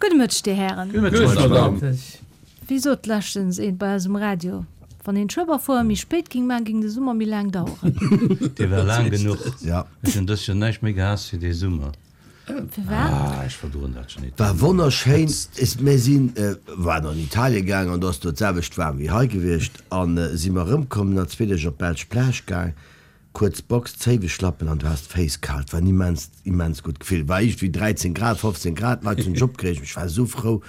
Gudde Mëtteg, Dir Hären. Gudde Mëtteg, Madame. Wéi sot leschtens een bei eis um Radio, Wann een d'Schueberfouer méi spéit ging man, ging de Summer méi laang daueren. Dee war laang genuch. Ech hunn dës Joer näischt méi gehaasst wéi dee Summer. Firwat? Ah, ech verdroen dat schon nit. War wonnerschéin. Mir sinn, waren an Italien gaang an do ass do d'selwecht waarm wéi hei gewiescht an si mer erëmkomm, no zwee Deeg op d'belsch Plage gaang, kuerz Box, Zéiweschlappen an du has d'Féiss kal. Et war en immenst, immens gutt Gefill. War iergendwéi 13 Grad, 15 Grad, d'Leit hunn sech opgereegt, ech war esou frou,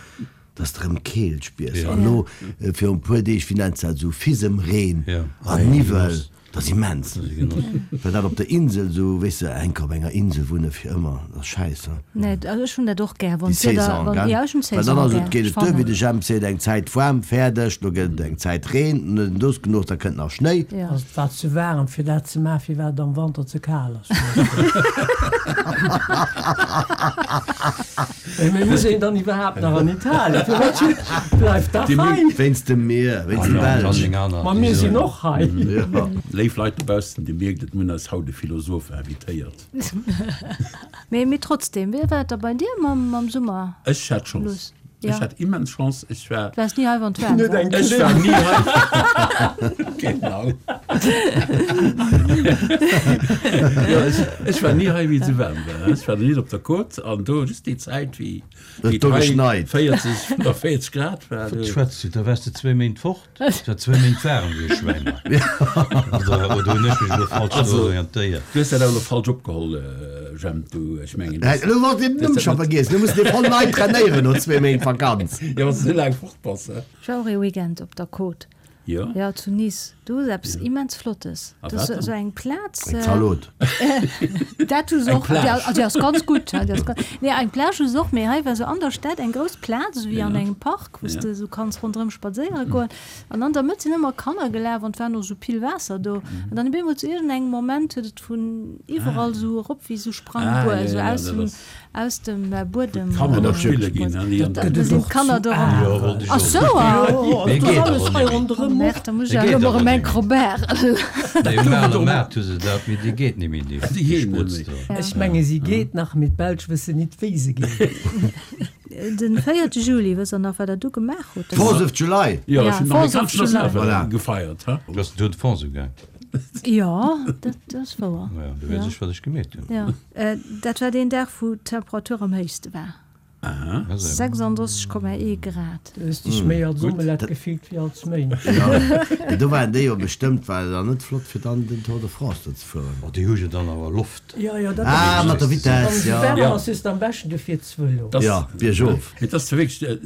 dass de erëm Keelt spiers. An elo virun e puer Deeg, wéi nenns de dat, esou Fisemreen an Niwwel. Dat ass immens. Well dat op der Insel esou, weess de, enk op enger Insel wunne fir ëmmer, dat ass schäisse. Nee, also ech hunn dat och gär, wann Déi d'Wieder, Saison, wann, gell? jo, ech hunn Well dann d'Saison ass et, gär. geet Ech et duer, wéi fannen. de Jemp seet, eng Zäit waarm, fäerdeg, lo gëtt et eng Zäit Reen, an do ass genuch, da kënnt nach Schnéi. Jo. Also et war ze waarem fir dat ze maachen, firwat et am Wanter ze kal ass. Mee muss een dann iwwerhaapt nach an Italien? Firwat bleift da hei? Wéinst dem Mier, wéinst dem Belsch. Ma mir sinn och hei. Léif Leit dobaussen, Dir mierkt et, mir hunn eis haut e Philosoph invitéiert. Mee, mee trotzdem, wéi war et da bei dir mam Summer? Ech hat Chance. Ech hat immens Chance. Ech war. Du waars ni hei, wann et waarm war. Ech war ni hei. Genau. Jo, ech, ech war ni hei, wéi et esou waarm war. Ech war nach nit op der Côte an do just déi Zäit, wéi Et do hei geschneit. 40, 45 Grad war. Wat schwätz du? Da waars de zwéi Méint fort. Et war zwéi Méint waarem wéi e Schwäin hei. Oder, oder hunn ech mech elo falsch Also, orientéiert? du hues dat awer elo falsch opgeholl, Jemp, du, ech mengen, Hä, elo wollt den Numm scho vergiess, elo muss de voll nei trainéieren no zwéi Méint Vakanz. Jo, wann s de esou laang fort bass, hä? Ech war och ee Weekend op der Côte. Jo. Jo, zu Nice. Do ass eppes immens Flottes. A Dat ass wat dann? esou eng Plaz. Eng Zalot. Dat hu se Eng och. Déi Plage. déi ass ganz gutt. Déi ass ganz, nee, eng Plage hu se och, mee hei war esou an der Stad eng grouss Plaz, esou wéi an Ja. engem Park, wou s Ja. de esou kanns ronderëm spadséiere goen. An an der Mëtt sinn ëmmer Kanner gelaf an et war och esou pill Waasser do. An dann op eemol zu iergendengem Moment huet et vun iwwerall esou erop wéi esou Ah, Sprangbuer, ja, esou ja, aus dat dem ass. Aus dem Buedem. D'Kanner da spille ginn an déi an Da sinn d'Kanner do ronderëm. Jo, wollt ech Ach och sou, soen. ah. Mee geet awer net méi. Oh merde, da muss ech Dee awer geet elo awer erëm net eng méi. Robert. Nee, um Aler Maart hu se dat, mee dee geet net méi, dee Déi geet net Sprutz méi. do. Ech menge si geet nach, mee d'Belsch wëssen nit wéi se geet. Den 4 Juli, wësst der nach wat der du gemaach hutt? Fourth of July! Jo, ech hunn den Fourth of amerikaneschen July. Nationalfeierdag gefeiert, ha? Du ass den Tour de France ugaang. Jo, dat ass wouer. Ja, du weess ech wat ech gemeet hunn. Jo, dat war deen Dag wou d'Temperatur am héichste war. 36,1 Grad. Du hues dech méi als Omelett gefillt wéi als Mënsch. Jo, do waren déi jo bestëmmt, war et dann net flott fir dann den Tour de France do ze fueren. Oh, déi hu jo dann awer Loft. Jo, jo, dat Ah, mat der Vitess, jo. Wann et waarm ass, hues de am beschten, du fiers Vëlo. Jo, biergof. Mee et ass wierklech,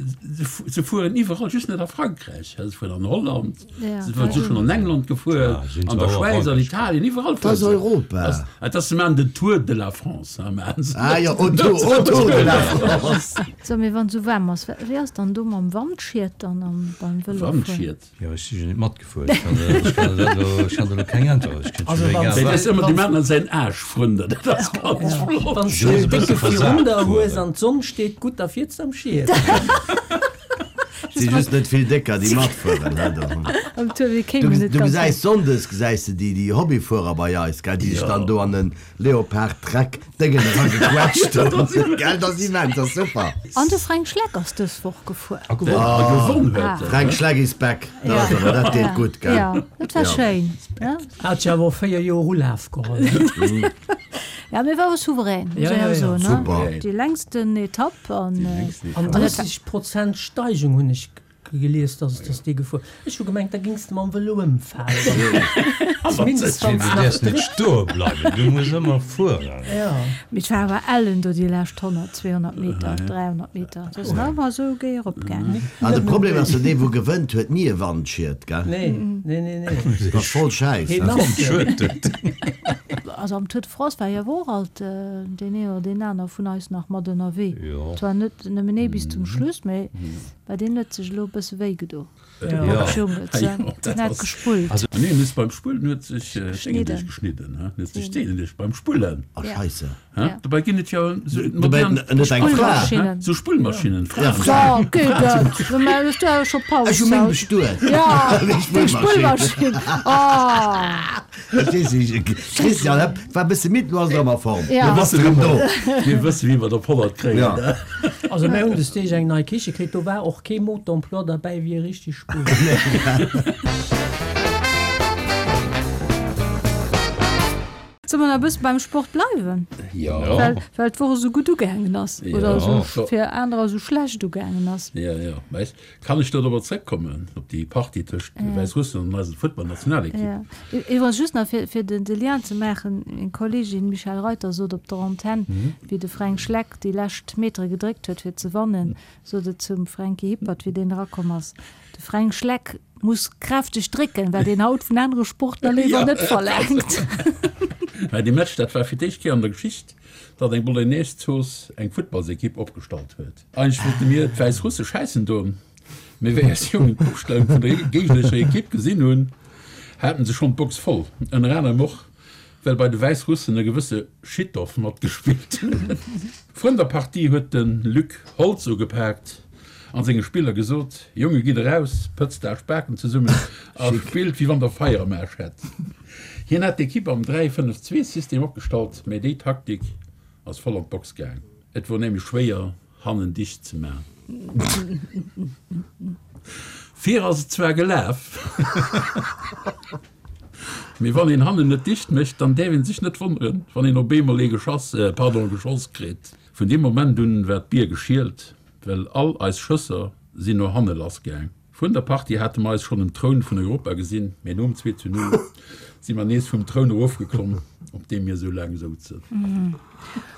se fueren iwwerall, just net a Frankräich. Se fueren an Holland, se si schonn an England gefuer, an der Schwäiz, an Italien, iwwerall Dat ass fuere se. Europa. Et ass, se maachen den Tour de la France, maachen se. Ah jo, autour, autour de la France. So, mee wann et esou waarm ass, wéi ass dann do mam Wandschiet dann beim Vëlofueren? Wandschiet? Jo, ech si jo net matgefuer. Ech kann der, ech kann der dat elo, ech kann der elo keng Äntwert. Ech kënnt Also jo wann egal Dat wat. ass ëmmer, déi maachen an säin Aarsch frënder, dat ass ganz flott. Wann s Jo, du e en bësse décke versat Virun der hues fueren. an d'Sonn steet gutt, da fiers de am Schiet. Si just net vill décker déi matfueren he do. Am Tour, mir Du kéimen net du ganz gesäis héich. Sonndes gesäis de déi déi Hobbyfuerer bei eis gell, déi sech dann do an den Leopard Trek Déngen eragequetscht hunn gell, dat ass immens, dat ass super. An de Fränk Schleck ass dës Woch gefuer. A gewonn. A gewonn huet en. Fränk Schleck is back, dat ass awer, dat deet gutt gell. Jo, dat war schéin. Hat jo awer och 4 Joer Ulaf geholl. Ja, mee war och souverän, muss een awer soen, ne? Super. Déi längsten Etapp an. An 30 Prozent Steigung hunn ech gelies, dass dass dee gefuer. Ech hu gemengt, da gings de mam Vëlo ëmfalen. Zumindest wann Du s nach däerfs net drécks. stoe bleiwen, du muss ëmmer fueren. Ja. Mee et war awer ellen do déi lescht 100, 200 Meter, 300 Meter. Et ass nach ëmmer esou géi eropgaangen. An de Problem ass jo, dee wou gewënnt huet ni e Wandschied, gell? Nee, nee, nee, nee. Dat ass voll Schäiss. Heen ass jo. Also am Tour de France war jo awer och alt deen een oder deen aner vun eis nach mat ënnerwee. Jo. Zwar net nëmmen ee bis zum Schluss, mee bei deen huet sech elo e bësse wéi gedo. Jo. Den hat gespullt. Also nee, en huet beim Spullen huet sech d'Déngen geschnidden, he? Huet sech d'Déngen duerch beim Spullen. Oh Scheisse. He? Dobäi ginn et jo sou Dobäi modern en huet eng Fra. Spullmaschinnen. Sou Spullmaschinnen, Fra. Ja, Fra. So, geet et? Mä hues du awer scho Paus Ech hu meng haut? bestuet. Ja, Deng deng Spullmaschinn. Spullmaschinn. Oh. Verstees du, Christian, hä? War e bësse midd, lo ass et erëm a Form. Ja. Lo bass de erëm do. Mir wësse wéi mer et op 100 kréien. Ja. Also mär hunn des Deeg eng nei Kiche kritt, do war och kee Mot d'emploi derbäi wéi e richteg Spuer. Solle mer nach e bësse beim Sport bleiwen? Jo. Well, well d'Woch esou gutt ugaangen ass. Jo. Oder esou fir anerer esou schlecht ugaangen ass. Jo, jo. Mä ech, kann ech do dorobber zrëckkommen, op déi Partie tëscht Wäissrussland an eiser Futtballnationalekipp? Jo. Iwwregens just nach, fir, fir den, de Lien ze maachen, Meng Kolleegin Michèle Reuter sot op der Antenn, wéi de Fränk Schleck déi lescht Metere gedréckt huet fir ze wannen, sot et zum Fränki Hippert, wéi deen erakomm ass, De Fränk Schleck muss kräfteg drécken, wat een haut vun anere Sportler léiwer net verlaangt. Mä dee Match, dat war fir d'éischt Kéier an der Geschicht, datt eng Bolognese-Zooss eng Futtballsekipp opgestallt huet. Eigentlech wollte mir d'Wäissrusse schäissen doen, mee wéi eis Jongen d'Opstellung vun der géignerescher Ekipp gesinn hunn, haten se schonn d'Box voll. Ënner anerem och, well bei de Wäissrussen e gewësse Schitov matgespillt huet. Vrun der Partie huet de Luc Holtz ugepaakt an senge Spiller gesot, Jonge gitt eraus, pëtzt Aech Baken zesummen a spillt wéi wann der Feier am Aarsch hätt. Hien hat d'Ekipp am 3-5-2 System opgestallt, mä déi Taktik ass voll an d'Box gaang. Et wor nämlech schwéier hannen dicht ze man. Vir ass et zwar gelaf. Mee wann een hannen net dicht mécht, dann däerf een sech net wonneren, wann een op eemol ee geschass, pardon, geschoss kritt. Vun deem Moment un war d'Bier geschielt, well all eis Schësser sinn no hanne lass gaang. Vrun der Partie hate mer eis schonn um Troun vun Europa gesinn, mee nom 2 zu 0 si mer nees vum Troun erofgeklomm, op deem mir sou laang souzen.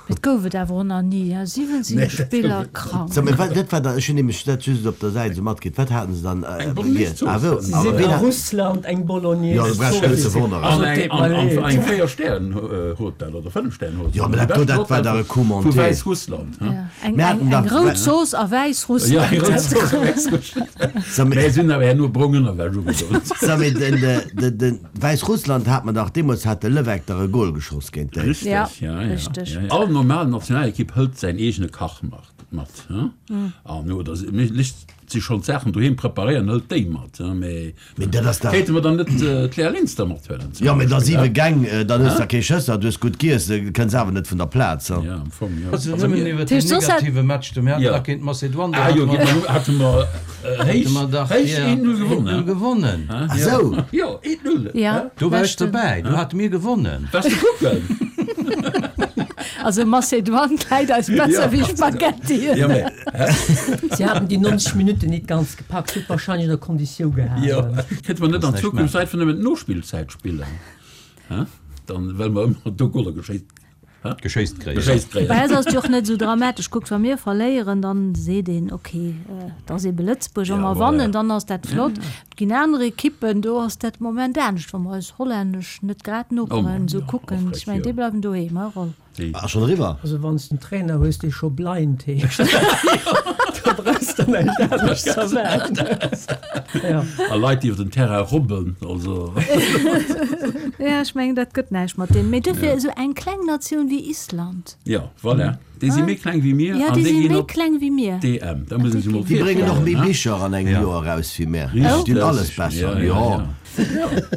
Et gouf et awer och nach ni, 17 Spiller krank. So, mee wat, dat war da, ech hunn nämlech dat just op der Säit esou matkritt, wat haten se dann Eng Bolognese-Zooss. Ah wou, Si awer sinn ween a hat, Russland eng jo, do brauchst du net ze Bolognese-Zooss. wonneren. An eng, an, an eng Véier-Stären-Hotel oder Fënnef-Stären-Hotel. Jo, mee dat do, dat war dach e Coup Vu monté. Wäissrussland, he? Eng, Mir eng, haten eng dach, rout Zooss a Ja, Wäissrussland. eng rout Zooss a Wäissrussland. So, mee, Mä si hunn awer herno brong Ënnerwäsch ugedoen. so, mee den, de, de, Wäissrussland hat mer dach, deemools hat de Levegh dach e Gol geschoss géint déi. Richteg, Ja, ja, ja, richteg. ja, ja. All normal Nationalekipp hëlt säin eegene Kach mat, mat, he? An oder se léisst sech schonn d'Saachen doheem preparéieren, hëlt déi mat, he? Mee Mee dat ass dach. kéinte mer dann net d'Léa Linster mathuelen zum Jo, mee da Beispill, siwe he? Gäng, dann hues der kee Schësser, du hues gutt giess, kënns awer net vun der Plaz, he? Ja, am Fong, jo. Also Also nëmmen mir. iwwer Dat den heescht, soss hätt. negative Match do, mir haten Ja. dach géint Mazedoine, do Ah hate jo, mer. géint hate mer Hate mer dach, héich ja, 1-0 gewonnen, 1-0 gewonnen. he? Ah sou. Jo, 1-0, Ja, he? Do war ech leschten. dobäi, do hate mir gewonnen. Waars du kucken? Also Macedoine läit eis besser wéi Spaghettien. Ja, mä, hä? Si haten déi 90 Minutten nit ganz gepackt, huet wahrscheinlech an der Konditiou Jo, gehalen. kéinte mer net an Kannst näischt Zukunft maachen. einfach nëmmen d'Nospillzäit spillen, hä? Dann, well mer ëmmer do Goler geschéisst, hä? Geschéisst kréien. Geschéisst kréien. Bei eis ass et jo och net esou dramatesch. Kuckt, wa mir verléieren, dann seet een, ok, et ass ebe Lëtzebuerg. Wa Ja, mer voilà. wannen, dann ass dat flott. Et ginn aner Ekippen, do ass dat Moment anescht. Wa mer eis hollännesch net grad Oh Noperen Mann, esou jo, kucken, och ech mengen, frech, déi jo. bleiwen doheem, he Roll? Déi. Ass schon eriwwer. Also wann s de en Trainer hues dee scho blind heescht, da brauchs de näischt anescht ze erwaarden. Ja. A Leit, déi iwwer den Terrain robben, also. Ja, ech mengen, dat gëtt näischt mat deenen. Mee duerfir esou eng kleng Natioun wéi Island. Ja, voilà. Déi si méi kleng wéi mir Ja, an déi déi si ginn méi op kleng wéi mir. d'EM. Da muss een sech emol Déi bréngen och virstellen, méi he? Bicher an engem Ja. Joer eraus wéi mär. Déi dinn alles besser. Ja, ja, Jo. ja.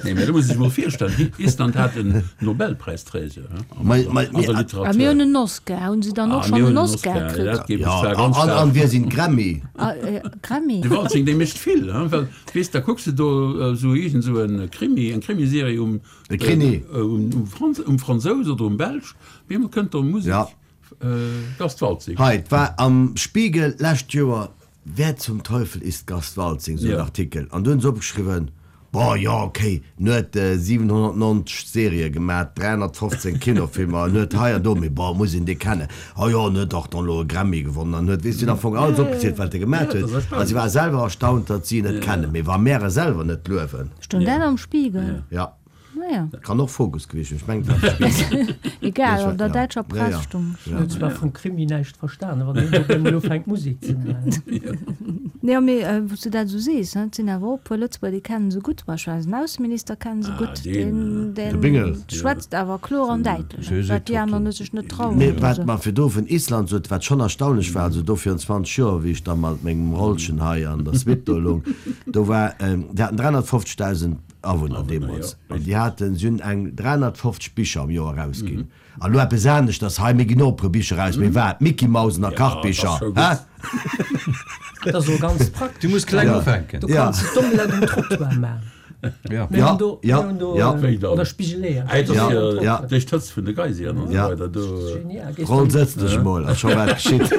Nee, mä do muss ee sech emol virstellen, Island hat en Nobelpräisträger an der Literatur. A mir hunn en Oscar. Hunn se dann och schonn en Oscar kritt? Dat geet mech zwar ganz An staark. wir sinn Grammy. Grammy? De Waltzing, dee mécht vill, well weess, da kucks de do esou iergend esou e Krimi, eng Krimiserie um, E Krimi. um Fransous oder um Belsch, op eemol kënnt do Musek, Gast Waltzing. Hei, 't war am Spiegel d'lescht Joer, Wer zum Teufel ist Gast Waltzing, sou en Artikel. An do hunn se opgeschriwwen, Bon, jo, okay, en huet 790 Serië gemat, 315 Kinofilmer, en huet hei an do, mee bon, muss een dee kennen? Oh jo, en huet och dann elo e Grammy gewonnen an huet, weess du, hunn am Fong alles opgezielt, wat e gemat huet. A si ware selwer erstaunt, datt si en net kennen. Mee wa mär e selwer net luewen. Stoung dat am Spiegel? Ja. Naja. Kann och Fokus gewiescht sinn, ech mengen et war de Spiegel. Egal, an der däitscher Press stung. Ech hunn zwar vum Krimi näischt verstanen, wann een op eemol ufänkt Musek ze maachen. Jo, mee wou s du dat esou sees, et sinn awer och e puer Lëtzebuerger, déi kennen se gutt. Zum Beispill eisen Ausseminister kennen se gutt, deen schwätzt awer kloer an däitlech, wat déi aner net sech net trauen. Mee wat mer virdu vun Island sot, wat schonn erstaunlech war, also do virun 20 Joer, wéi ech da mat mengem Rollchen hei an der Suite do loung, do war, déi haten 350.000. Awunner deemools. An déi haten, si hunn eng 350 Bicher am Joer erausginn. An elo eppes aneschters hei, mir ginn och e puer Bicher eraus, mee wat? Mickey-Mausen a Kachbicher, hä? Dat ass och ganz praktesch. Du muss kleng ufänken. Du kanns d'Omelette um Trottoir maachen. Ja. Mir hunn do, Ja, mir hunn do, ja. Wéi dann? oder Spigeleeër. Ah, et ass Ja, jo ja. duerch d'Hëtzt vun de Geyseren an esou Ja. weider do. Genial. Gees Roll, dann sëtz dech emol, ass scho wat geschitt.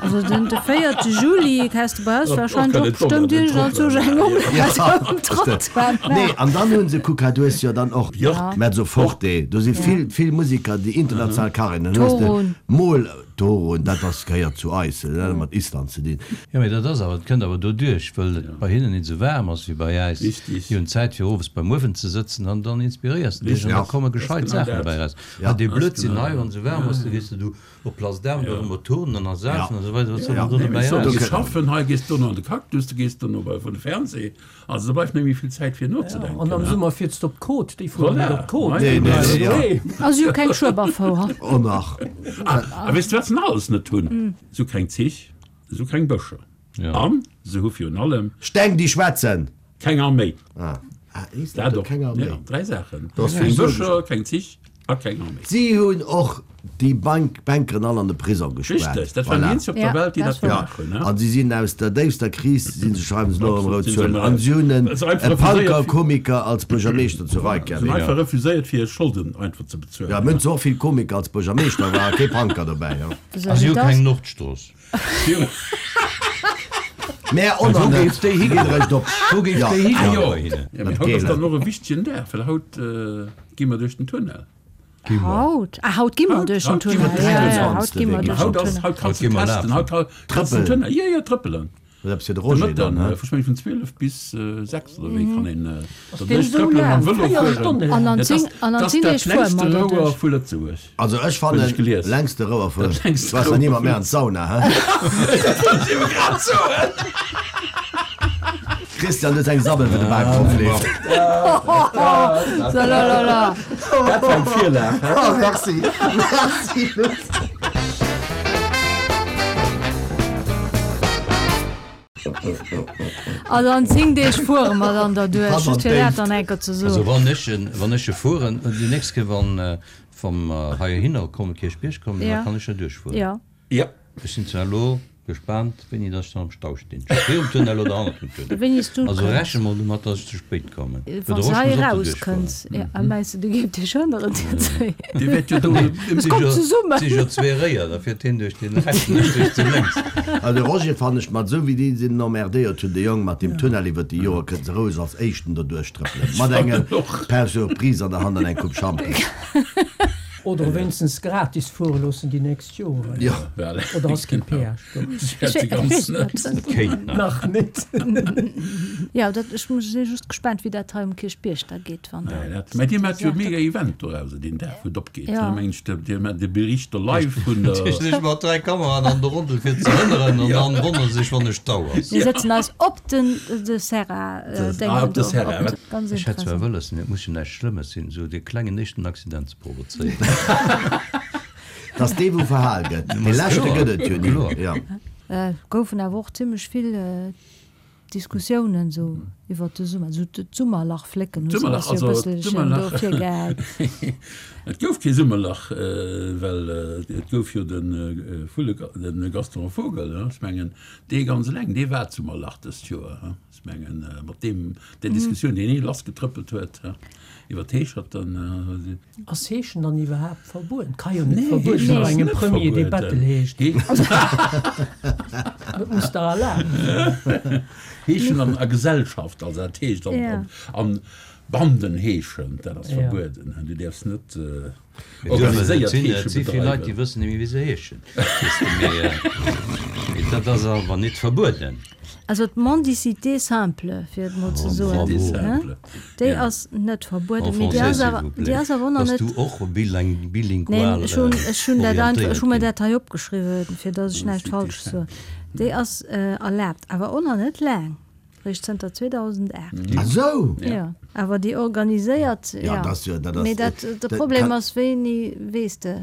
Also den de 4. Juli häss de bei eis Och wahrscheinlech kann och et bestëmmt Omelette iergend um anzwousch eng Trottoir Omelette um Trottoir Nee, maachen. an dann hunn se, kuck hei, du hues jo dann och Björk. Mezzoforte, do si vill, vill Musiker, déi international Karrieren hunn. Dann hues de Torun. mol Torun, dat ass, gehéiert zu eis, dat huet mat Island ze dinn. Jo, mee dat ass awer, dat kënnt awer doduerch, wëll et bei hinnen nit esou waarm ass wéi bei äis. Richtig. Déi hunn Zäit fir owes beim Uewen ze sëtzen an dann inspiréiers de dech an Ja. da komme gescheit genau Saachen dat. dobäi eraus. Ja. Hei dee Das ist Blödsinn genau hei, dat. wann esou waarm ass, da gees de du op Place d'Armes do ëmmer turnen an a safen an esou weider, wat soll Ja. dann do Nee, dobäi mee so, du eraus? gees schaffen, hei gees dono an de Cactus, du gees dono bei vun de Fernseh. Also do bleift net méi vill Zäit fir nozedenken. An am Summer fiers de op d'Côte, déi fueren net Voilà. op d'Côte. Nee, nee, nee, ja. Nee. Ass jo keng Schueberfouer. Oh nach. Ah, a weess de wat se nach alles net hunn? Se hu keng Zich, se hu keng Bëscher Ja. an se hu virun allem. Steng déi schwätzen! Keng Arméi. Ah, ah Island Dat huet och. keng Arméi. Ja, 3 Saachen. Dat ass Keng philosophesch. Bëscher, keng Zich a keng Arméi. Si hunn och déi Bank, Bankeren all an de Prisong gespaart. Richteg, dat waren déi Voilà. eenzeg op der Ja, Welt, déi dat dat war- gemaach hunn. An si sinn aus der déifster Kris, si se, schreiwen se elo erëm rout Absolut, sinn se Zuelen. erëm An eraus. si hunn en Well se einfach e refuséiert Punker-Komiker als Buergermeeschter zu Se hunn Reykjavik. einfach refuséiert, fir hir Scholden einfach ze bezuelen. Ja, mir hunn zwar och vill Komiker als Buergermeeschter, war kee Punker dobäi. Ja. A si hu keng Nordstrooss. Mä och Wou net. géif déi Geet eréischt op. Wou géif Ja. déi Ah higoen jo, bei hinnen? ja, mee haut ass dann och e wichtegen Dag, well haut gi mer duerch den Tunnel. Haut? Ah, haut gi mer Haut, duerch den haut gi mer Tunnel. duerch Ja, den ja, Tunnel. haut gi mer Mee duerch den Haut ass, Tunnel. haut kanns Haut du gi mer testen, lafen. haut kanns du den Trëppelen. Tunnel, jo, jo, trëppelen. Dat ass eppes fir de De Roger dann, Mëtten, he? ech meng vun 12 bis 6 oder wéi kann een der deen duerch esou trëppelen laang? mam Vëlo Véier fueren. Stonne An an Dat ass 10 an an dat ass 10 dat Deeg fuere längste mer Rouer doduerch. vu Lëtzebuerg, Also ech hunn fannen, ech gelies. längste Rouer vu, Dat längste du warst nach Rouer ni mat vu mär an d'Sauna, he? Dat wollt ech ebe grad soen! Christian, du hues eng Sabbel, wou de Bak drop leeft. So la la la. Dat war eng Virlag, he? Oh, merci, merci Lutz. Also an 10 Deeg fuere mer dann derduerch, Hanner just fir dat d'Déift. dann eng Kéier ze Also soen. wann ech en, wann ech e fueren, déi nächst Kéier wann wann mer heihinner kommen, Kierchbierg kommen, da Ja. kann ech jo duerchfueren. Ja. Ja. Ech sinn zwar elo gespaant, wéini dass ech dann am Stau stinn. Virum Tunnel oder hannert dem Tunnel. Wéini s du Also kënns. reche mol domat, dass ech ze spéit kommen. Well Wann de s Rosch hei muss och do eraus duerchfueren. kënns. Ja, a mengs de, du géif dech hënneren, dir zwéi? Dir wäert jo do Es Si kommt jo, zesummen. si jo zwee Réier, da fiert hien duerch dee rechten, ech duerch dee lénks. Also de Roger fannen ech mat esou wéi déi sinn emmerdéiert hunn, de Jong mat deem Tunnel iwwert déi Joer, kënnt se roueg als éischten doduerch trëppelen mat engem Pain surprise an der Hand an eng Coupe Champi. Oder wéinstens gratis fuere loossen déi nächst Joren. Jo. Oder ass kee Péage do? Ech weess net. Kéint nach. Nach net. Jo, dat, ech muss, si just gespaant, wéi dat hei um Kierchbierg da geet, wann dat. Mä dir maacht jo e mega Event dorauser, deen Dag, wou et opgeet, Ja. ne, meng ech. Dir maacht de Bericht do live vun der. Ech ech mat 3 Kameraen an der Rondel fir ze hënneren an dann wonnere sech wann e Stau ass. Mir sëtzen eis op den de Serra Déngen Ah, op de do. Serra. Op de, ganz Ech hätt zwar interessant. wëlles, mee et muss jo näischt Schlëmmes sinn, esou dee klengen éischten Accident ze provozéieren. Dass dee wou verhal gëtt, dee leschte gëtt et jo ni. Kloer. Jo. Goufen awer och zimmlech vill Diskussiounen esou iwwert de Summer, esou d'Summerlach flécken hu se D'Summerlach, eis jo e also bësselchen do d'Summerlach, virgehäit. et gouf kee Summerlach, well et gouf jo de Vulle, de Gaston Vogel, ech mengen dee ganz eleng, dee war d'Summerlach dëst Joer, ech mengen mat deem, där Diskussioun, déi hie lassgetrëppelt huet iwwer d'Heescherten. Ass Heeschen dann iwwerhaapt verbueden? Ka jo net Nee, verbueden Heeschen sinn bei ass engem net Premier, dee verbueden. Bettel heescht. Hee Dat muss dach erlaabt sinn. Heeschen an a Gesellschaft, also dat heescht an, Ja. an, an Banden heeschen, dat ass Ja. verbueden. Du däerfs net Et organiséiert sinn, Heesche et si vill Leit, déi bedreiwen. wëssen net méi, wéi se heeschen. Weess de, mee, mee dat ass awer net verbueden. Also d'Mendicité simple, fir et mol ze soen, Mendicité hein, simple, déi ja. ass net En verbueden, mee déi français, ass s'il awer, vous déi plaît. ass awer och nach Bass net. du och biling, bilingual Neen, ech hunn, ech hunn dat einfach, orientéiert ech hu mir ginn? dat hei opgeschriwwen, fir datt ech näischt Mendicité Falsches simple. soen. Déi ass erlaabt, awer och nach net laang, réischt zënter 2008. Ah sou! Jo, awer déi organiséiert, Ja, ja. dat ass jo, dat ass, Mee dat, de dat Problem kann. ass, wéini weess de?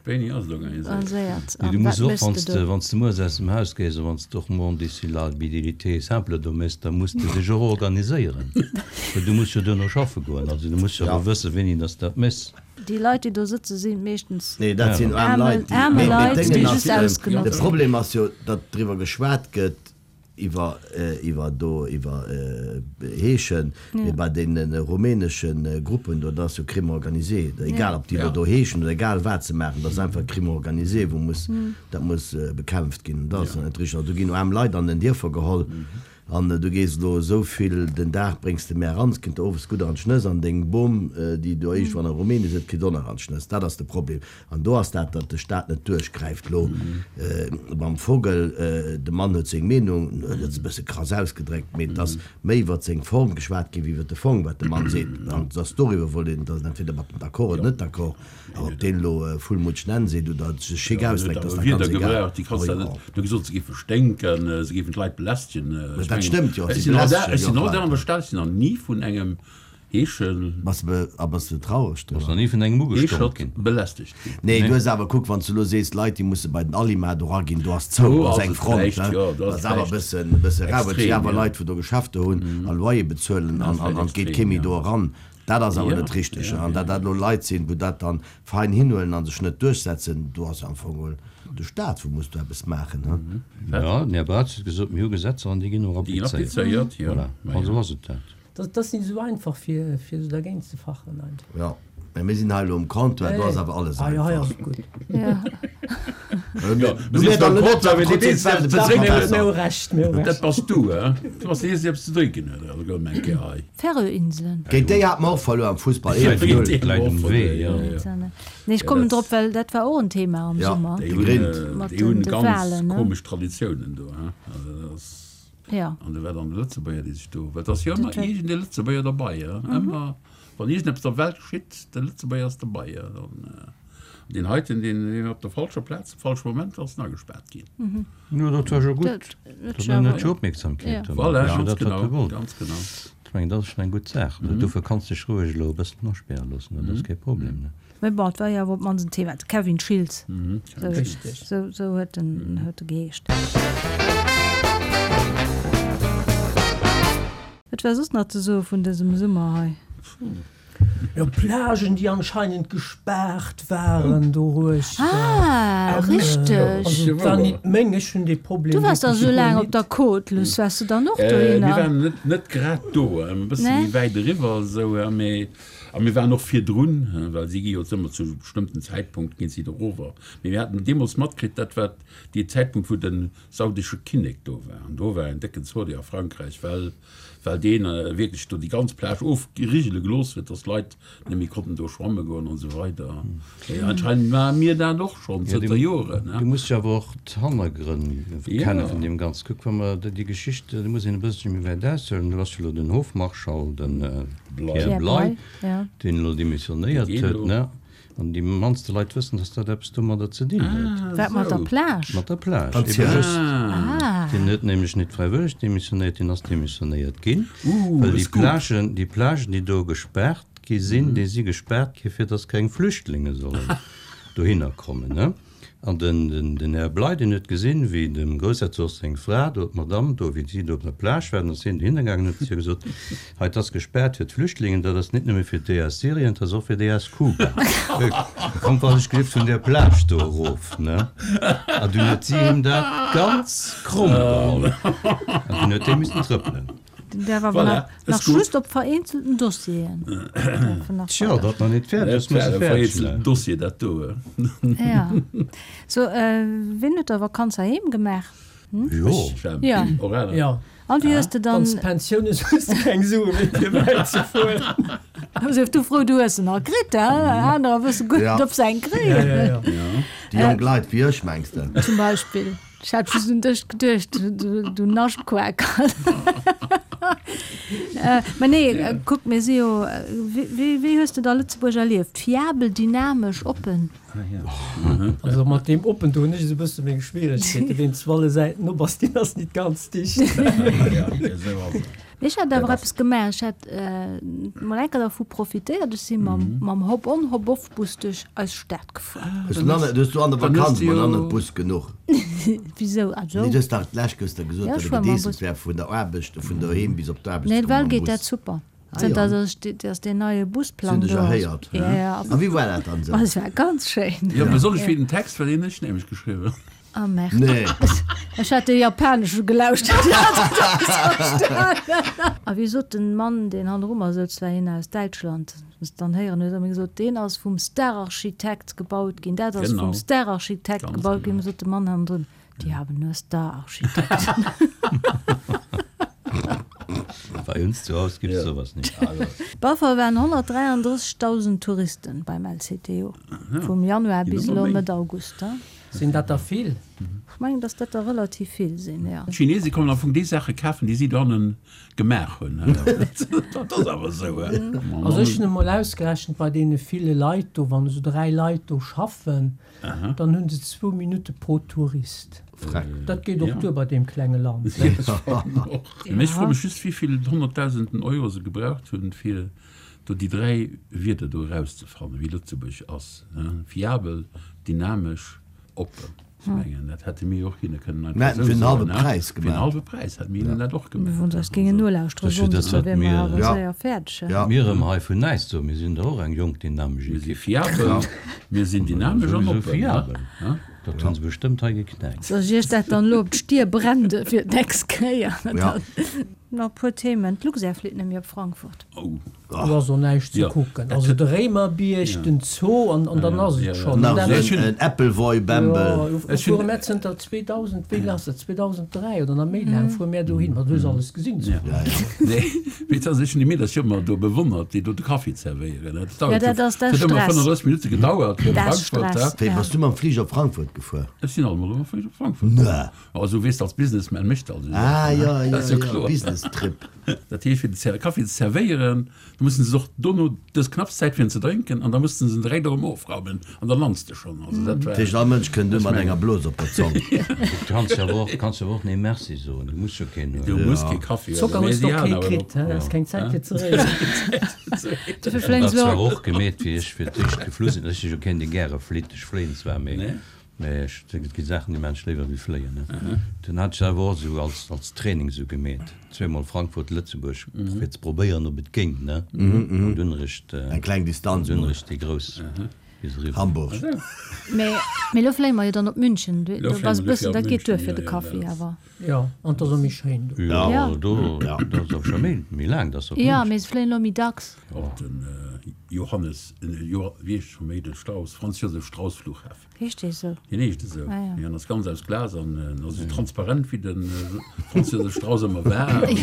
Wéini ass et organiséiert? Nee, du muss och, wann s de, wann s de mueres aus dem Haus gees a wann s de och moan d'ici la bidilité simple do méchs, da muss de dech och organiséieren, well du muss jo duerno schaffe goen. Also du muss jo awer wëssen, wéini dass de dat méchs. Déi Leit, déi do sëtzen, si meeschtens Nee, dat sinn aarm Leit, déi, aarme mee, mee Leit, déi d'Déngen just ass, ausgenotzt de ginn. Problem ass jo, datt driwwer geschwat gëtt, iwwer, iwwer do, iwwer Heeschen, mee bei deene rumänesche Gruppen do, dat ass jo Crime organisé, egal ob déi elo do heeschen oder egal wat se maachen, dat ass einfach Crime organisé, wou muss, dat muss bekämpft ginn. Dat ass net richteg. Also do ginn aarm Leit an den Dierfer geholl An du gees elo esou vill den Dag bréngs de mär eran, 't kënnt der owes gutt an d'Schnëss an deng Bom, déi do iergendwann a Rumänien sëtzt, kritt och nach an d'Schnëss. Dat ass de Problem. An do ass dat, datt de Staat net duerchgräift. Elo mam Vogel, de Mann huet seng Meenung, en huet se e bësse krass ausgedréckt, mee et ass méi iwwert seng Form geschwat ginn, wéi iwwert de Fong, wat de Mann seet. An et ass doriwwer wollt een, et ass entweder mat em d'accord oder net d'accord. Awer ob deen elo Full Mutsch Nenn seet oder sech schick ausdréckt, ass da ganz egal. Du gesot, se géife sténken, se géifen d'Leit belästegen. Mä dat stëmmt jo, si belästegen jo och Leit. Ech sinn nach ni vun engem Heeschen. Bass de, a bass de traureg driwwer? Bass nach ni vun engem ugestonk ginn? Belästegt ginn. Nee, du hues awer, kuck, wann s du elo sees, Leit, déi musse bei den Alima do raginn, do ass zou, do ass eng Front, he, dat ass awer e bëssen, e bësse rau, well et si awer Leit, wou do Geschäfter hunn a Loyer bezuelen an an et geet kee méi do eran. Dat ass awer net richteg. An datt dat elo Leit sinn, wou dat dann fein hinhuelen a sech net duerchsetzen, do ass am Fong geholl de Staat, wou muss do eppes maachen. Jo, den Här Braz huet gesot, mir hu Gesetzer an déi ginn och applizéiert. Voilà, also ass et dat. Dat ass net esou einfach, fir esou dergéint ze fachen einfach. Jo, mä mir sinn hei elo um Comptoir, do ass awer alles einfach. Ah jo, hei ass et gutt. Dat bass du, he? Du bass deen Eersten, dee eppes ze drénken huet, also gouf eng Kéier hei. Färöinseln. Géint déi hate mer och verluer am Fussball, 11, 0. Läit um Wee, jo. Nee, ech kommen drop, well dat war och en Thema am Summer. Déi hunn ganz komesch Traditiounen do, he? Also dat ass. Jo. An do war dann de Lëtzebuerger, dee sech do, well et ass jo ëmmer iergend e Lëtzebuerger derbei, he? Ëmmer. Wann iergendeppes der Welt geschitt, de Lëtzebuerger ass derbei. An deen heiten, deen deen op der falscher Plaz am falsche Moment ass en agespaart ginn. Jo, dat war jo gutt. Dat huet jo Opmierksamkeet domat. Voilà, ganz genau, ganz genau. Ech mengen, dat ass schonn eng gutt Saach. Dofir kanns de dech roueg elo e bëssen aspäre loossen, dat ass kee Problem, ne? Mä bon, et war jo awer op d'mannst en Thema. De Kevin Schiltz, esou esou huet en huet e geheescht. Wat war soss nach ze soe vun dësem Summer hei? Jo, Plagen, déi anscheinend gespaart waren doruechter. Ah, richteg. Also et war nit meng, ech hunn dee Problem Du waars da wierklech sou guer laang op nit. der Côte, Luss, waars du dann och dohinner? Mir waren net, net grad do, e bësse méi wäit eriwwer esou, mee a mir waren och virdrun, well si gi jo ëmmer zu bestëmmten Zäitpunkt ginn si do erover. Mee mir haten deemools matkritt, dat war dee Zäitpunkt, wou de saudesche Kinnek do war an do war en décken Zodi a Frankräich, well well deen wierklech do déi ganz Plage ofrigele gelooss huet, dass d'Leit net méi konnten do schwamme goen an esou weider. Mee anscheinend maache mir dat och schonn zënter Joren. Du muss jo awer och d'Hannergrënn kenne vun deem Ganzen. Kuck, wa mer déi Geschicht, do muss een e bësselche méi wäit aushuelen, do ass jo elo den Hofmarschall, de Pierre Bley, deen elo demissionéiert huet, ne? An déi mannste Leit wëssen, dass dat eppes domadder ze dinn huet. Wat, mat der Plage? Mat der Plage, ebe just. Deen huet nämlech net fräiwëlleg demissionéiert, deen ass demissionéiert ginn, well déi Plagen, déi Plagen, déi do gespaart gi sinn, déi si gespaart gi fir dass keng Flüchtlinge sollen dohinner kommen. An den Här Bley, deen huet gesinn, wéi dem Groussherzog seng Fra do, d'Madame do, wéi si do op der Plage war, dann ass hien dohinner gaangen an huet zu hir gesot, Hei, 't ass gespaart fir d'Flüchtlingen, dat ass nit nëmme fir déi aus Syrien, 't ass och fir déi aus Kuba. Kommt wann ech gelift vun där Plage do erof, ne? An dunn huet si him dat ganz kromm geholl an dunn huet dee missen trëppelen. Den däerf awer Voilà, nach ist gut. just op vereenzelten Dossieren. Däerf en nach Tjo, weider. datt nach nit fäerdeg ass, muss e Dat war fäerdeg vereenzelten maachen. Dossier, dat do. Ja. So, wien huet da Vakanz heiheem gemaach? Jo. Ja. Och aner. Ja. An wéi hues de dann. Wann s Pensioun hues, hues de keng Sue méi fir wäit ze fueren. Sief du frou, du hues se nach kritt, he? Anerer wësse guer net, ob se eng kréien. Ja, ja, ja. Déi jonk Leit wéi ech, mengs de? Zum Beispill. Ech hat just un dech geduecht, du Naschtquaker. Mä nee, kuck, mir si jo, wéi, wéi hues de da Lëtzebuerg erlieft? Fiabel, dynamesch, oppen? Also mat deem oppen do hunn ech esou e bësse meng Schwieregkeeten. Ween zu alle Säiten op ass, deen ass nit ganz dicht. Mee ech hat awer eppes gemaach. Ech hat mol eng Kéier dervu profitéiert. Ech si mam Hop-on, Hop-off-Bus duerch eis Stad gefuer. Hues du hues du an der Vakanz mol an den Bus genuch? Wisou? Also. Nee, du hues dach d'lescht gëschter gesot, datt e gedeesselt wär vun der Aarbecht, vun doheem bis op d'Aarbecht ze kommen mam Bus. Nee, ewell geet dat super. Zënter datt deen neie Busplang do ass. Ja, ja. A wéi war dat dann esou? Et war ganz schéin. Jo, besonnesch wéi den Text, well deen hunn ech nämlech geschriwwen. Ah merde. Nee. Ech hat de japanesche gelauschtert. A wéi sot den Mann, deen hanneru mer souz, war een aus Däitschland, s dann héieren huet, a mir gesot, deen ass vum Stararchitekt gebaut ginn, dat ass vum Stararchitekt gebaut ginn. Sot de Mann hannendrun, Die haben nur Stararchitekten. Bei uns zu Haus gibt's sowas nicht. Buffer waren 133.000 Touristen beim LCTO vum Januar bis elo Mëtt August. Sinn dat der vill? Ech mengen, datt dat der relativ vill sinn, jo. D'Chinese kommen am Fong déi Saache kafen, déi si dohannen gemaach hunn. Dat ass awer esou. Also ech hunn emol ausgerechent, bei deene ville Leit do, wann esou 3 Leit do schaffen, Dann hunn se zwou Minutte pro Tourist. Dat geet och duer bei deem klenge Land. Mee ech froe mech just, wéi vill honnertdausenden Euro se gebraucht hunn, fir do déi 3 Wierder do erauszefannen, wéi Lëtzebuerg ass, fiabel, dynamesch, oppen. Ech mengen, dat hätte mir jo och hinne kënnen einfach esou soen. Fir en hallwe Präis hätte mir hinnen dat och gemaach. Wann se eis géingen nolauschteren, sonndes, da wiere mer awer séier fäerdeg. Mir erëm hei vun näischt soen, mir sinn der och eng jonk dynamesch Mir si Ekipp. fiabel, mir sinn dynamesch an oppen. Fiabel, dat hu se bestëmmt hei geknäckt. Soll ech iech dat dann elo op d'Stier brende fir d'nächst Kéier? Nach e puer Themen, D'Luxair flitt net méi op Frankfurt. Do ass och näischt ze kucken. Also de Réimerbierg, den Zoo an dann ass et schonn. Nach esou en Äppelwoibämbel. Jo, fuere mär zënter 2000, wéi laang ass dat, 2003 oder nach méi laang fuere mär dohin. Ma du hues alles gesinn zu Frankfurt. Nee, mee et ass, ech hunn déi Meedercher ëmmer do bewonnert, déi do de Kaffi zerwéieren. Dat dauert jo, dat huet ëmmer 35 Minutte gedauert fir op Frankfurt. Wéi, bass du mam Fliger op Frankfurt gefuer? Ech sinn alt mol mam Fliger op Frankfurt gefuer. Also weess de, als Businessman mécht de alt esou Saachen. Ah, jo, jo, jo, Business-Trip. Dat heescht, fir de Kaffi ze zerwéieren, da mussen se och dono dës knapps Zäit fir en ze drénken an da mussen se en direkt erëm ofraumen an da lands de schonn. Also dat war. Dat heescht, all Mënsch kënnt u mat enger Blos op der Zong. Du kanns jo awer och, kanns jo awer och nee Merci soen, du muss jo keen huelen. Du muss kee Kaffi huelen. Zocker hues de och kee kritt, he? Ass keng Zäit fir ze réieren. Dofir fléien se elo. Dat zwar och gemeet, wéi ech fir d'éischt geflu sinn. Ech si jo keen, dee gäre flitt. Ech fléien zwar, mee Mee ech denken, et gi Saachen, déi maan ech léiwer wéi fléien, ne? Dunn hat ech dat awer och esou als, als Training esou gemeet, zweemol Frankfurt, Lëtzebuerg, fir ze probéieren, ob et géing, ne? An dunn eréischt, Eng kleng Distanz dunn mol. eréischt déi grouss bis eriwwer. Hamburg. Mee, mee elo fléie mer jo dann op München, do, do ass e bëssen, dat geet duer fir de Kaffi awer. Jo, an 't ass och méi schéin do. Jo, Ja. do, dat ass awer scho méi, méi laang, dass op Jo, München. mee se fléien elo méi dacks. Och den Johannes, Jo, wéi heescht scho méi, de Strauss, Franz Josef Strauss Flughafen. Heescht dee sou? Deen heescht esou. Ah, ja. En ass ganz aus Glas an en ass esou transparent wéi de Franz Josef Strauss ëmmer war. An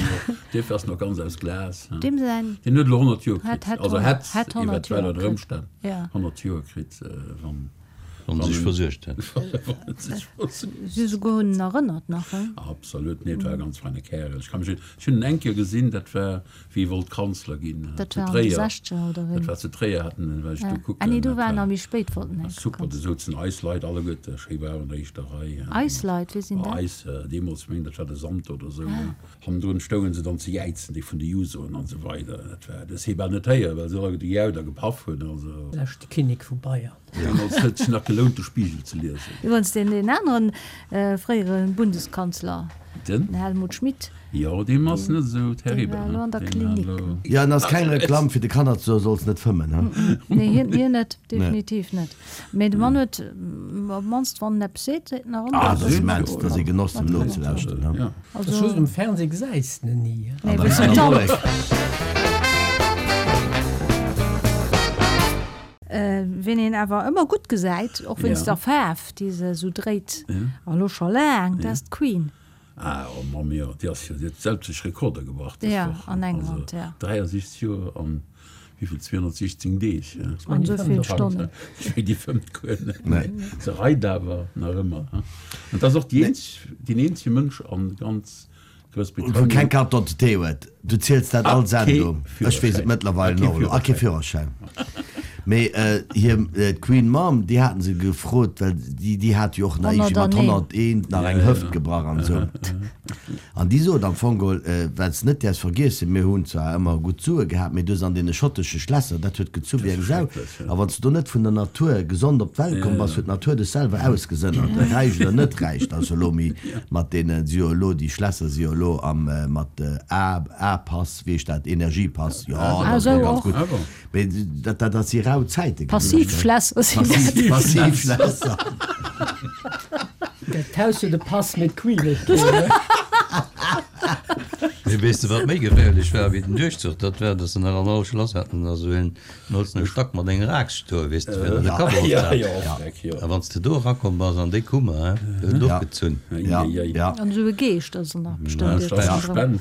duerfir ass en och ganz aus Glas. Deem säin. Deen huet elo 100 Joer kritt. Also hätt, hätt 100 eventuell Joer ënner kritt. Ëmstänn Ja. 100 Joer kritt, wann. Wann en sech versuergt hätt. Wann en sech versuergt. Si souguer hunn en erënnert nach, he? Absolut, nee, et war e ganz feine Kärel. Ech ka mech, ech hunn en eng Kéier gesinn, dat war wéi e wollt Kanzler ginn, Dat zu war an de Tréier. Sechzeger oder wéini? Dat war zu Tréier, haten en, war ech do kucken. Ah nee, do war en nach méi spéit, wollt en eng Kéier Super, do souzen eis Leit alleguerte schéi waarm an der éischter Rei. Eis Leit, wie sinn dat? Eis, deemools, meng, dat war de Santer oder esou. Hannendrun stoungen se dann ze jäizen, déi vun de Jusoen an esou weider. Dat war, du hues hee bal net héieren, well se alleguerte gejaut a gepaff hunn, also. Leschte Kinnek vu Bayern. Deemools huet sech nach gelount, de Spiegel ze liesen. Iwwerens deen deen aneren fréiere Bundeskanzler, den Helmut Schmidt. Jo, deem ass net esou terribel. Dee war elo an der Klinik. Jo, en ass keng Reklamm fir de Kanner ze soen, solls net fëmmen, he? Nee, hien, hien net, definitiv net. Mee de Mann huet, op d'mannst wann en eppes seet, seet en nach ëmmer. Ah, dat ass immens, dat ass ee Genoss, em nozelauschteren, he? Also. Just um Fernseh gesäis de en ni, he? Nee, wéi se dann. Ween een awer ëmmer gutt gesäit, och wéinst der Faarf, déi se esou dréit, a lo scho laang, dat ass d'Queen. Ah, oh Mamm, jo, déi ass jo, déi huet sämtlech Rekorder gebrach dës Woch. An England, ja. 63 Joer an wéivill, 216 Deeg. An esou vill Stonnen. Ech mengen, déi fëmmt guer net méi. Se reit awer nach ëmmer. An dat ass och déi eenzeg, deen eenzege Mënsch an ganz Wou keng Carte d'identité huet. Du ziels dat all Sendung. Ech weess et mëttlerweil och elo. A kee Führerschäin. Mee hir, d'Queen Mom, déi haten se gefrot, well déi, déi hat jo och nach iergendwéi mat 101 nach eng Hëft gebrach an esou. An déi sot am Fong geholl, wat s de net däerfs vergiessen, mir hunn zwar ëmmer gutt Sue gehat, mee du an deene schottesche Schlässer, dat huet gezu wéi eng Sau. A wann s de do net vun der Natur gesond op d'Welt komm bass, huet d'Natur dech selwer ausgesënnert, räich oder net räich. Dat ass jo elo méi mat deene, si jo elo, déi Schlässer si jo elo am, mat A, A-Pass, wéi heescht dat, Energiepass, jo, dat ass elo ganz gutt. Mee dat, dat, dat si rau Zäite gewiescht. Passivschlässer sinn dat. Passivschlässer. Dat Haus huet e Pass, mee d'Queen net. Mee weess de wat méi geféierlech war wéi den Duerchzuch? Dat war, datt se nach an all Schlass haten da sou een holzene Stack mat enger Aaxt stoen, weess de, fir datt de Kapp erofzehalen. A wann s de do erakomm bass an déi Kummer, he, déi huet et och gezunn. An esou e Geescht ass en nach bestëmmt iergendwou dran.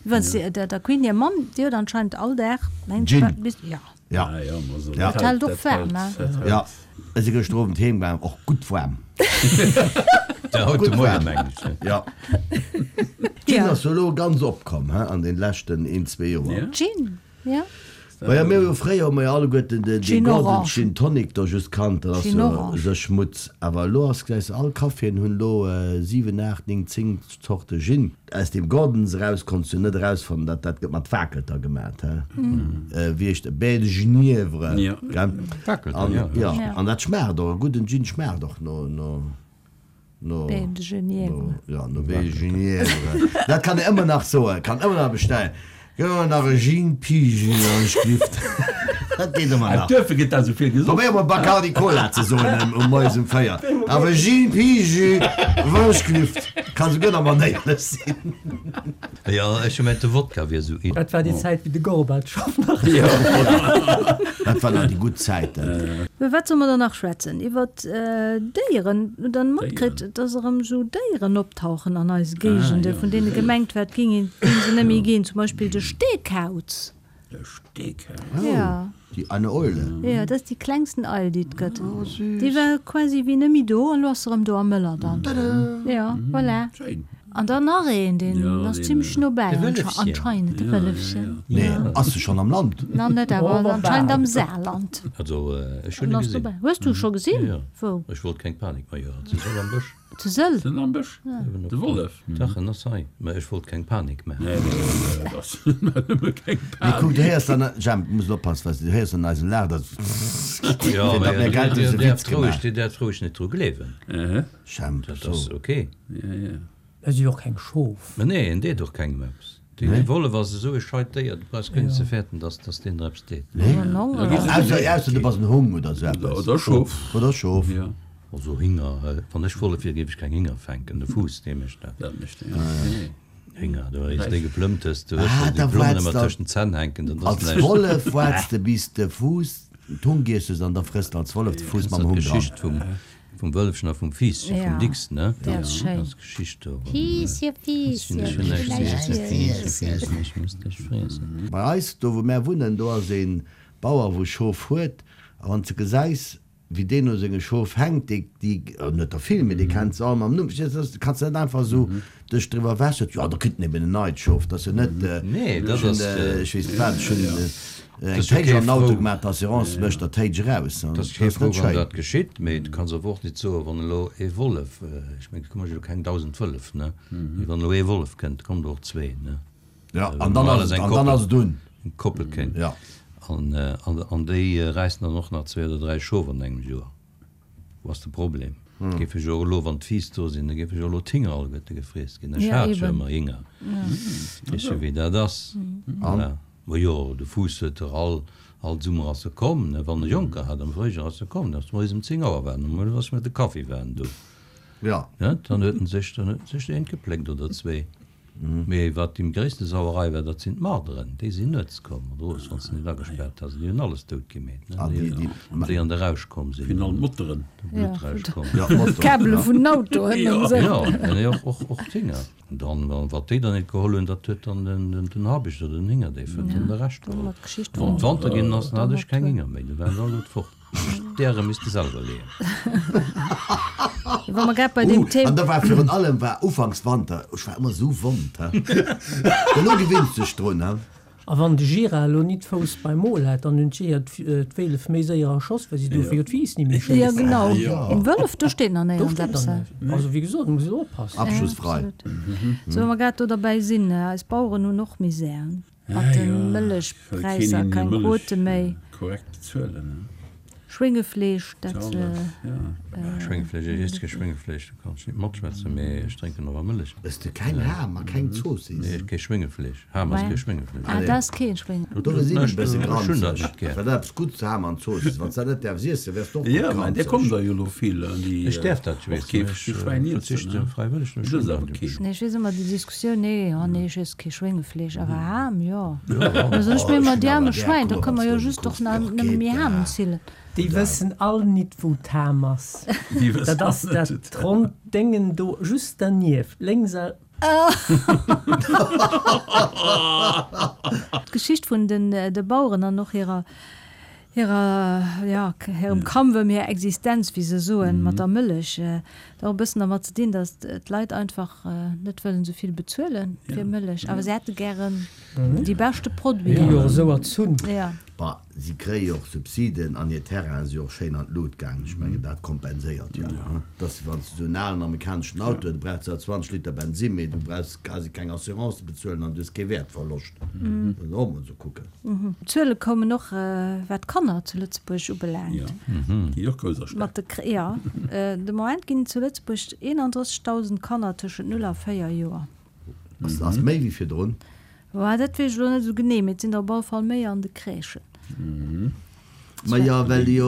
Iwwerens, der Queen hir Mamm, déi huet anscheinend all Dag, mengt Gin. bis, ja. Ja. Ja. Dat hält och waarm, he? Ja. Ech si gëschter Owend heem gaangen, och gutt waarm. Ja, haut de Moien, mengen ech. Ja. Gin ass jo elo ganz opkomm, he, an den leschten een, zwee Joer. Gin, ja. Maja, mir hu jo fréier hu mer jo alleguerten den Gin Gordon Orange. Gin Tonic do just kannt, dat ass Gin jo Orange. sou Schmutz. Awer elo ass, gesäis de, all Caféen hunn elo 7, 8, 9, 10 Zorte Gin. Aus deem Gordons eraus konns du net erausfannen, dat dat gëtt mat Wakelter gemat, he? Wéi heescht e Baie de Genièvre, gell? Wakelter, An, ja. ja, an dat schmaacht och, e gudden Gin schmaacht och no, no. No, Baie de Genièvre. No, ja, no Baie de Genièvre. Dat kann een ëmmer nach soen, kann ëmmer nach bestellen. Gëtt ëmmer nach e Gin Pigi an ech glift. Dat geet ëmmer nach. Duerfir gëtt dat esou vill gesoff. Probéier mol Bacardi Cola ze soen um moies um 4. Awer Gin Pigi, wann ech glift, kann souguer nach manéierlech sinn. Jo, ech hu mengt de Wodka wier esou in. Dat war déi Zäit wéi de Gorbatschow nach. Dat waren nach déi gutt Zäiten. Iwwer wat solle mer dann nach schwätzen? Iwwer Déieren. Hutt Der matkritt, dass erëm esou Déieren optauchen an eise Géigende, vun deene gemengt war, et géing se net méi ginn? Zum Beispill de Steekauz. De Steekauz? Ja. Déi eine Eule. Jo, dat ass déi klengsten Eil, déi et gëtt. Déi war quasi wéi net méi do an elo ass se erëm do am Mëllerdall. Jo, voilà. Schéin. An dann nach een, deen ass zimlech no bäi, anscheinend, de Wëllefchen. Nee, ass e schonn am Land? Nach net, awer anscheinend am Saarland. Also, ech hunn e gesinn. Hues du e scho gesinn? Jo, Wou? Ech wollt keng Panik maachen. Zu Sëll am Bësch. Zu Sëll? Sëll am Bësch? De Wollef? Dach, en ass hei. Mä ech wollt keng Panik maachen. Nee, nee, dat ass nëmme keng Panik. Mee kuck, du héiers dann, Jemp, du muss elo oppassen, well du héiers an eisem Laach, dass, Jo, fir mä datt mir grad Dir dëse Witz däerft roueg, gemaach. Dir däerft roueg net dru gleewen. Jemp, Dat so. ass ok. Et si jo och keng Schof. Mä nee, en deet och kengem eppes. De Wollef ass esou e scheit Déier, du brauchs guer net ze fäerten, dass dass deen der eppes deet. Ausser, ausser du bass en Hung oder esou eppes. Oder e Schof. Oder e Schof. Also Hinger, wann ech Wollef wier, géif ech keng Hinger fänken. De Fuuss, dee mécht dat. Dat mécht en, jo. Hinger, du hues déi geplëmmt hues, du hues Ah, schonn déi da Plommen waarts ëmmer de tëschent den Zänn hänken, dann ass als näischt. Wollef waarts de bis de Fuuss d'Hung giess hues an da frëss de als Wollef de Fuuss Kennst mam du Hung dran. d'Geschicht vum Vum Wëllefchen a vum Fiisschen, vum Dicks, ne? Déi ass schéin. Ass Geschicht do. Fiisschen, Fiisschen, Fiisschen, Fiisschen, ech muss dech friessen. Bei eis, do wou mär wunnen, do ass ee Bauer wou Schof huet, a wann s de gesäis wéi deen u senge Schof hänkt, déi, déi, en huet der vill, mee dee kennt se all mam Numm, verstees de, kanns de net einfach esou dech driwwer ewech, sot, jo da kritt en eben en neit Schof, dat ass jo net, Nee, dat ech hunn, ass, ech weess net wat, ech hunn eng ass jo Téitsch kee an den Auto Frou. gemaach, d'Assurance mécht der Téitsch eraus, Dat dat ass kee ass Frou, net wann schéin. dat geschitt, mee du kanns awer och net soen, wann elo ee Wollef, ech mengen, et komme jo keng 1.000 Wëllef, ne, mee wann elo ee Wollef kënnt, kommen der och zwee, ne. Ja, an dann ass et, an dann ass et un. Eng Koppel kéint. Ja. An, an déi räissen dann och nach zwee oder dräi Schof an engem Joer. Wou ass de Problem? Géif ech och elo, wann d'Fiiss do sinn, da géif ech och elo d'Hinger alleguerte gefriess ginn. Ech hat jo ëmmer Hinger. Weess jo, wéi dat ass. Voilà. Ma jo, de Fuuss huet der all, all Summer ass e komm, ne, wann e Jonker hat, am Fréijoer ass e komm, da ass moies ëm 10 Auer waren, um 11 ass mir de Kaffi waren do. Ja. Net? Dann huet en sech, dann huet en sech eent gepléckt oder zwee. Mee wat déi gréisste Sauerei war, dat sinn d'Marderen. Déi sinn nuets komm, oder owes, wann s de net agespaart has. Déi hunn alles dout gemeet, ne? Déi an de Rausch komm sinn. Vun allen Motteren. De Bluttrausch komm. D'Kabele vun den Autoen an esou. Jo, nee, och, och, och d'Hinger. An dann, wa wat déi dann net geholl hunn, dat huet dann den, den, den Habicht oder den Hingerdéif huet dann de Rescht geholl. Wann et Wanter ginn ass, dann hat ech keng Hinger méi, du waren se alleguert fort. D'Äre misst de selwer leeën. Wa mer grad bei deem Thema. An da war virun allem war ufanks Wanter, ech war ëmmer esou wond, he. Elo gewinns dech drun, he. A wann de Gira elo nit Fouss beim Mol hätt, dann hunn d'Jeeër d'Wéllef méi séier erschoss, well si dofir jo d'Wiiss ni méi Jo, schéissen. genau. Wëllef, do steet nach Do néierens steet eppes. nach näischt. Also, wéi gesot, muss een oppassen. Abschussfrei. Absolut. Sou, wa mer grad do derbäi sinn, eis Baueren hunn och Misär mat de Mëllechpräisser, keng Quote méi. Korrekt bezuelen. Schwéngefleesch, dat. Schwéngefleesch, ech iess kee Schwéngefleesch, do kann ech nit matschwätzen, mee ech drénken awer Mëllech. Ëss de keng Ham a keng Zoossiss? Nee, kee Schwéngefleesch. Ham ass kee Schwéngefleesch. Ah, dat ass kee Schwéngefleesch. Dofir sinn ech e bësse Ech hunn dat granzeg. net gär. Well dat eppes Guddes Ham an Zoossiss, wann s dat net däerfs iessen, wäers de och gutt Jo, mä där kommen granzeg. der jo elo vill, déi Ech däerf dat, och weess kee de, ech Schwäin iessen, verzichte ne? fräiwëlleg, ech Du hunn ëss dat awer net. keen. Nee, ech weess ëmmer déi Diskussioun, nee, oh nee, ech iess kee Schwéngefleesch, awer Ham, jo. Da soen ech mir ëmmer, déi aarme Schwäin, da kënne mer jo just och nach nëmme méi Ham zillen. Déi wëssen all nit wou d'Ham ass. Dat ass dat ronnt Déngen do just dernieft, lénks a. D'Geschicht vun den de Baueren an och hirer hirer jo hirem Kampf ëm hir Existenz, wéi se soen, mat der Mëllech, huet och e bëssen dermat ze dinn, datt d'Leit einfach net wëllen esou vill bezuele fir Mëllech, awer se hätte gären déi beschte Produiten. Gi jo esou erzunn. Bah, si kréie jo och Subsiden an hir Terrainen si och schéin an d'Lut gaangen. Ech mengen, dat kompenséiert jo. Dass, wann s de esou en alen amerikaneschen Auto hues, du brauchs zwar 20 Liter Bensinn, mee du brauchs quasi keng Assurance ze bezuelen an du hues kee Wäertverloscht. Muss een och emol esou kucken. D'Zuele koumen och, wat d'Kanner zu Lëtzebuerg ubelaangt. Déi och grouss erschreckt. Mat de, jo, de Moment ginn et zu Lëtzebuerg 31.000 Kanner tëschent 0 a 4 Joer. Ass méi wéi virdrun. Bah, dat weess ech elo net esou genee, mee et sinn der op alle Fall méi an de Crèchen. Ma jo, well jo,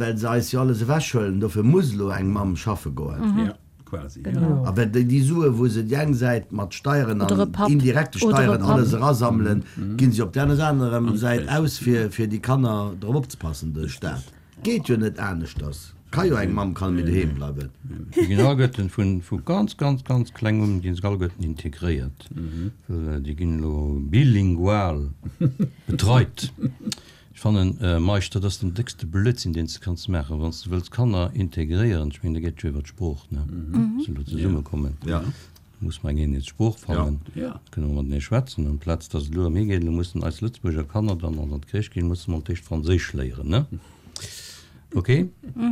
well se eis jo alles ewechhuelen, dofir muss elo eng Mamm schaffe goen. Ja, quasi, ja. A well déi Sue wou se déi eng Säit mat Steieren Oder e an Papp. indirekte Oder e Steieren Papp. alles erasammelen, ginn se op där anerer Säit aus fir fir déi Kanner drop opzepassen, de Staat. Geet jo net aneschters. Ka jo eng Mamm kann méi doheem bleiwen. Déi ginn alleguerten vu ganz, ganz, ganz kleng un ginn se alleguerten integréiert. Well déi ginn elo bilingual betreit. Ech fannen, Meisch, dat ass den déckste Blödsinn, deen s de kanns maachen, wann s de wëlls Kanner integréieren. Ech mengen, da geet et jo iwwer d'Sprooch, ne, dass se elo zesummekommen. Muss mer eng Eenheetssprooch fannen, da kënne mer matenee schwätzen, amplaz dass et elo ëm hie geet, elo mussen eis Lëtzebuerger Kanner dann an d'Crèche ginn, musse mer d'éischt Franséisch léieren, ne? Ok?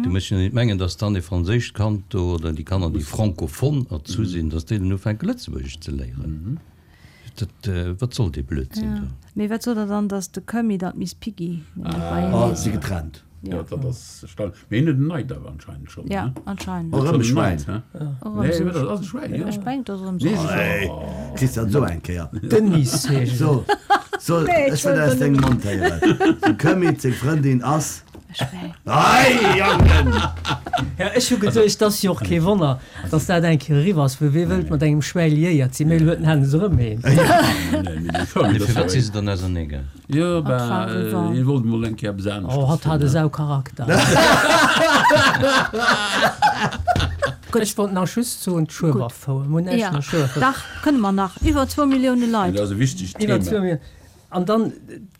Du muss jo net mengen, dass dann e franséischt Kand do, oder déi Kanner, déi francophone erzu sinn, dass déi dann ufänke Lëtzebuergesch ze léieren. Dat, wat soll dee Blödsinn do? Mee wat sot Der dann, dass de Kömmi dann d'Miss Piggy net beienee Oh, si sinn? getrennt. Jo, dat ass erstaunlech. Mee hien huet en neit awer anscheinend schonn, Ja, ne? anscheinend. Och erëm e Schwäin. Och erëm Nee, esou wat ass e Schwäin, jo. Ech mengen, et ass erëm esou. Nee, se Hey, Christian, so eng Kéier. Denise heescht So, so, ech wëll aus dengem Mond héieren. Dem Kömmi seng Frëndin ass. E Schwäin. Ei, Jangen! Ja, ech hu geduecht, 't ass jo och kee Wonner, dass dat eng Kéier eriwwer ass, well wee wëllt mat engem Schwäi liéiert sinn? Mee elo huet den Hennes erëm eent. Nee, firwat si se dann ausernee gaang? Jo, bah, hien wollt mol eng Kéier eppes aneschters. Oh, hatt hat e Saucharakter. Ech wollt nach just soen, d'Schueberfouer. Mir hunn näischt mat Schueberfouer. Dach, kënne mer nach. Iwwer zwou Millioune Leit. Dat ass e wichtegt Iwwer Thema. zwou Millioune. An dann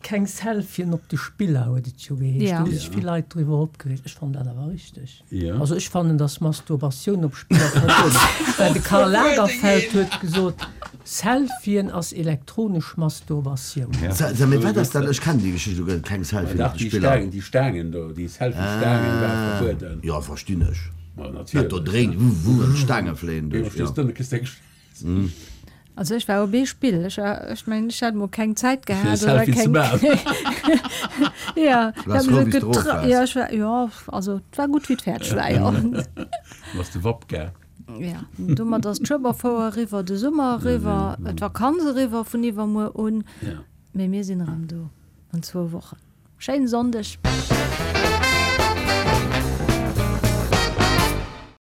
keng Selfien op de Spiller, huet et jo geheescht. Do hu sech vill Leit driwwer opgereegt. Ech fannen dat awer richteg. Also ech fannen, datt Masturbatioun op Spiller verbueden ass. Well de Karl Lagerfeld huet gesot, Selfien ass elektronesch Masturbatioun. Sag, mee wat ass dat? Ech kennen déi Geschicht elo guer net. Keng Selfien op de Spiller. Déi Staangen do, déi Selfie-Staangen ware verbueden. Jo, verstinn ech. Ma natierlech. Dat do dréint, wuh, wuh, an d'Staange fléien duerch. Jo, stees dënne, kriss de eng. Also ech war op ee Spill, ech war, ech mengen ech hat mol keng Zäit Fir gehat oder Selfie ze keng maachen. Ja, Du waars ich hab frou, mech wéi s du erof getra waars. ja ech war, jo, also et war gutt wéi et fäerdeg war, jo. Du bass de Wapp gaang. Ja, domat ass d'Schueberfouer eriwwer, de Summer eriwwer, d'Vakanz eriwwer vun iwwermuer un, Ja. mee mir sinn erëm do an zwou Wochen. Schéinen Sonndeg.